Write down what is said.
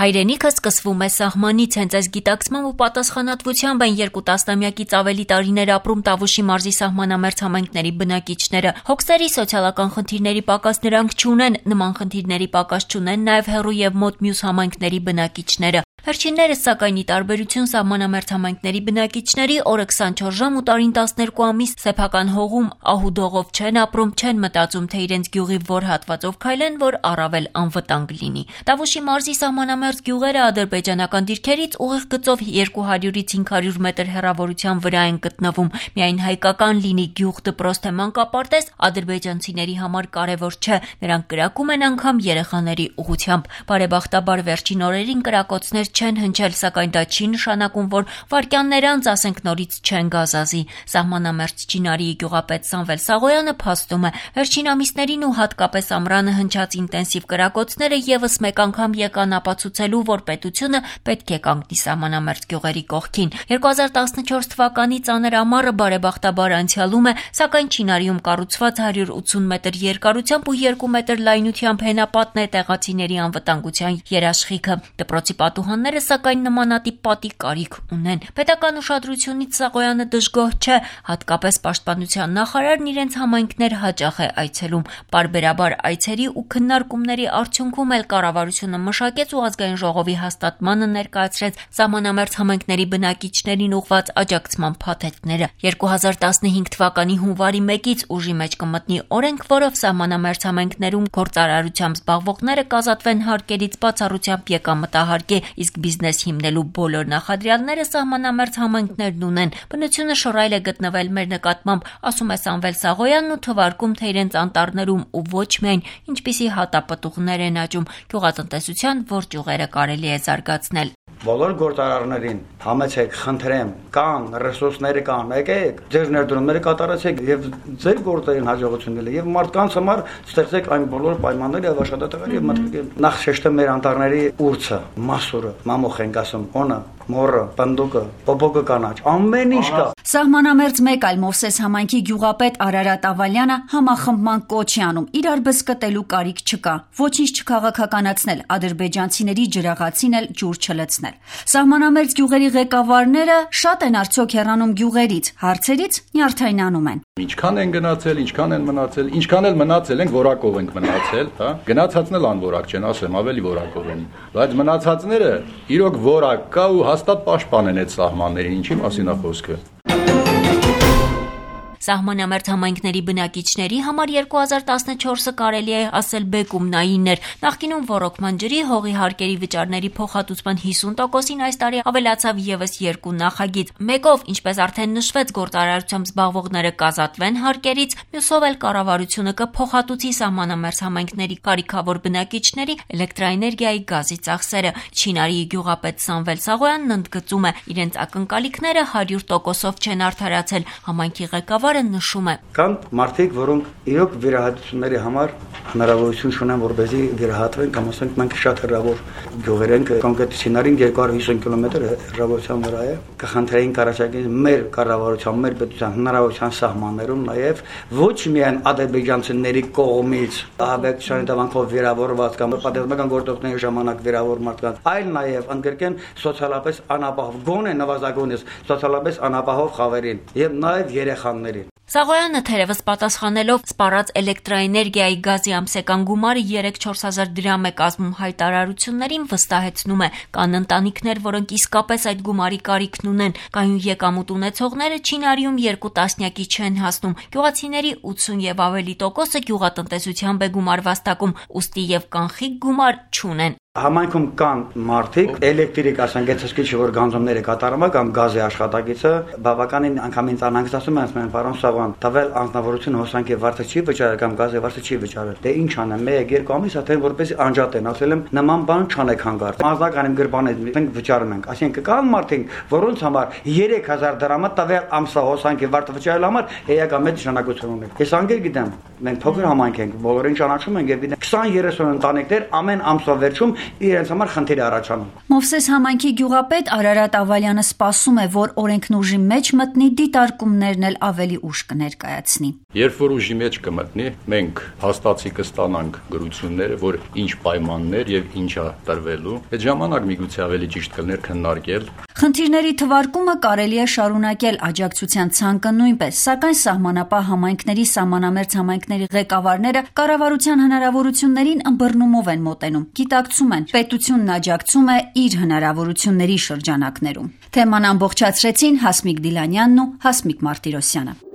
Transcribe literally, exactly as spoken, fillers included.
Հայրենիքը սկսվում է սահմանից, հենց այս գիտակցմամբ ու պատասխանատվությամբ են երկու տասնամյակից ավելի տարիներ ապրում Տավուշի մարզի սահմանամերձ համայնքների բնակիչները։ Հոգսերի սոցիալական խնդիրների պակաս նրանք չունեն, նման խնդիրների պակաս չունեն նաև հեռու եւ մոտ մյուս համայնքների բնակիչները։ Վերջիններս սակայն ի տարբերություն սահմանամերձ համայնքների բնակիչների օրը քսանչորս ժամ ու տարին տասներկու ամիս սեփական հողում ահուդողով չեն ապրում, չեն մտածում, թե իրենց գյուղի որ հատվածով քայլեն, որ առավել անվտանգ լինի։ Տավուշի մարզի սահմանամերձ գյուղերը ադրբեջանական դիրքերից ուղիղ գծով երկու հարյուրից հինգ հարյուր մետր հեռավորության վրա են գտնվում։ Միայն հայկական լինի գյուղ դպրոց թե մանկապարտեզ ադրբեջանցիների համար կարևոր չէ, նրանք կրակում են անգամ երեխաների ուղղությամբ։ Բարեբախտաբար վերջին օրերին կրակոցներ չեն հնչել, սակայն դա չի նշանակում, որ վայրկյաններ անց ասենք նորից չեն գազազի։ Սահմանամերձ Չինարիի գյուղապետ Սամվել Սաղոյանը փաստում է, վերջին ամիսներին ու հատկապես ամռանը հնչած ինտենսիվ կրակոցները եւս մեկ անգամ եկան ապացուցելու, որ պետությունը պետք է կանգնի սահմանամերձ գյուղերի կողքին։ երկու հազար տասնչորս թվականի ծանր ամառը բարեբախտաբար անցյալում է, սակայն Չինարիում կառուցված հարյուր ութսուն մետր երկարությամբ ու երկու մետր լայնությամբ հենապատն է տեղացիների անվտանգության երաշխիքը։ Դպրոցի պատուհանները սակայն նմանատիպ պատի կարիք ունեն։ Պետական ուշադրությունից Սաղոյանը դժգոհ չէ, հատկապես պաշտպանության նախարարն իրենց համայնքներ հաճախ է այցելում։ Պարբերաբար այցերի ու քննարկումների արդյունքում էլ կառավարությունը մշակեց ու ազգային ժողովի հաստատմանը ներկայացրեց սահմանամերձ համայնքների բնակիչներին ուղղված աջակցման փաթեթները։ երկու հազար տասնհինգ թվականի հունվարի մեկից ուժի մեջ կմտնի օրենք, որով սահմանամերձ համայնքներում գործարարությամբ զբաղվողները կազատվեն հարկերից, բացառությամբ եկամտահարկի, իսկ բիզնես հիմնելու բոլոր նախադրյալները սահմանամերձ համայնքներն ունեն։ Բնությունը շռայլ է գտնվել մեր նկատմամբ, ասում է Սամվել Սաղոյանն ու թվարկում, թե իրենց անտառներում ու ոչ միայն ինչպիսի հատապտուղներ են աճում, գյուղատնտեսության որ ճյուղերը կարելի է զարգացնել։ Բոլոր գործարարներին համեցեք, խնդրեմ, կան ռեսուրսները կան, եկեք, ձեր ներդրումները կատարեցեք եւ ձեր գործերին հաջողություն ելեք եւ մարդկանց համար ստեղծեք այն բոլոր պայմանները եւ աշխատատեղեր եւ մտքեր։ Նախ շեշտեմ մեր անտառների ուրցը, մասուրը, մամուխ ենք ասում, օնը, մորը, պնդուկը, պոպոկը կանաչ, ամեն ինչ կա։ Սահմանամերձ մեկ այլ Մովսես համայնքի գյուղապետ Արարատ Ավալյանը համախմբման կոչ է անում։ Իրար բզկտելու կարիք չկա, ոչինչ չքաղաքականացնել, ադրբեջանցիների ջրաղացին էլ ջուր չլցնել։ Սահմանամերձ գյուղերի ղեկավարները շատ են արդյոք հեռանում գյուղերից, հարցերից նյարդայնանում են։ Ինչքան են գնացել, ինչքան են մնացել, ինչքան էլ մնացել ենք, որակով ենք մնացել, հա։ Գնացածն էլ անորակ չեն, ասեմ, ավելի որակով են։ Բայց մնացածները իրոք որակ կա ու հաստատ պաշտպան են այդ սահմաններին, ինչի մասին է խոսքը։ Սահմանամերձ համայնքների բնակիչների համար երկու հազար տասնչորսը կարելի է ասել բեկումնային էր։ Նախկինում ոռոգման ջրի, հողի հարկերի վճարների փոխհատուցման հիսուն տոկոսին այս տարի ավելացավ եւս երկու նախագիծ։ Մեկով, ինչպես արդեն նշվեց, գործարարությամբ զբաղվողները կազատվեն հարկերից, մյուսով էլ կառավարությունը կփոխհատուցի սահմանամերձ համայնքների կարիքավոր բնակիչների էլեկտրաէներգիայի գազի ծախսերը։ Չինարիի գյուղապետ Սամվել Սաղոյանն ընդգծում է, իրենց ակնկալիքները հարյուր տոկոսով չեն արդարացել։ Համայնքի ղեկավար նշում է. Կան մարդիկ, որոնք իրոք վիրահատությունների համար հնարավորություն ունեն, որպեսզի վիրահատվեն, կամ ասենք մենք շատ հեռավոր գյուղեր ենք, կոնկրետ Չինարին երկու հարյուր հիսուն կիլոմետր հեռավորության վրա է։ Կխնդրեին կառաջարկել մեր կառավարության, մեր պետության հնարավորության սահմաններում նաև ոչ միայն ադրբեջանցիների կողմից ահաբեկչության հետևանքով վիրավորված կամ պատերազմական գործողությունների ժամանակ վիրավոր մարդկանց, այլ նաև ընդգրկեն սոցիալապես անապահով, գոնե նվազագույնս սոցիալապես անապահով խավերին եւ նաև երեխաներին։ Սաղոյանը թերևս պատասխանելով սպառած էլեկտրաէներգիայի գազի ամսական գումարը երեք-չորս հազար դրամ է կազմում հայտարարություններին, վստահեցնում է, կան ընտանիքներ, որոնք իսկապես այդ գումարի կարիքն ունեն, կայուն եկամուտ ունեցողները Չինարիում երկու տասնյակի չեն հասնում, գյուղացիների ութսուն եւ ավելի տոկոսը գյուղատնտեսությամբ է գումար վաստակում, ուստի եւ կանխիկ գումար չունեն։ Համայնքում կան մարդիկ, էլեկտրիկ, ասենք, գեցեցկիչ, որ գանձումները կատարում է կամ գազի աշխատակիցը, բավականին անգամ ինձ անհանգստացում է, ասում են, պարոն Սաղոյան, տվել անձնավորություն հոսանքի վարձը չի վճարել կամ գազի վարձը չի վճարել։ Դե ինչ անեմ, մեկ երկու ամիս արդեն որպես անջատ են, ասել եմ, նման բան չանեք հանգարտ։ Մազնական իմ գրպանից մենք վճարում ենք։ Այսինքն կան մարդիկ, որոնց համար երեք հազար դրամը տվել ամսա հոսանքի վարձը վճարելու համար էական մեծ նշանակություն ունի։ Ես անգեր գիտեմ, մենք փոքր համայնք ենք, բոլորին ճանաչում ենք եւ գիտենք քսան երեսուն ընտանիքներ ամեն ամսվա վերջում իրենց համար խնդիր է առաջանում։ Մովսես համայնքի գյուղապետ Արարատ Ավալյանը սպասում է, որ օրենքն ուժի մեջ մտնի, դիտարկումներն էլ ավելի ուշ կներկայացնի։ Երբ որ ուժի մեջ կմտնի, մենք հաստատի կստանանք գրությունները, որ ինչ պայմաններ եւ ինչ է տրվելու։ Այդ ժամանակ միգուցե ավելի ճիշտ կլներ քննարկել։ Խնդիրների թվարկումը կարելի է շարունակել աջակցության ցանկը նույնպես, սակայն սահմանապահ համայնքների, սահմանամերձ համայնքների ղեկավարները կառավարության հնարավորություններին ըմբռնումով են մոտենում, գիտակցում են, պետությունն աջակցում է իր հնարավորությունների շրջանակներում։ Թեման ամբողջացրեցին Հասմիկ Դիլանյանն ու Հասմիկ Մարտիրոսյանը։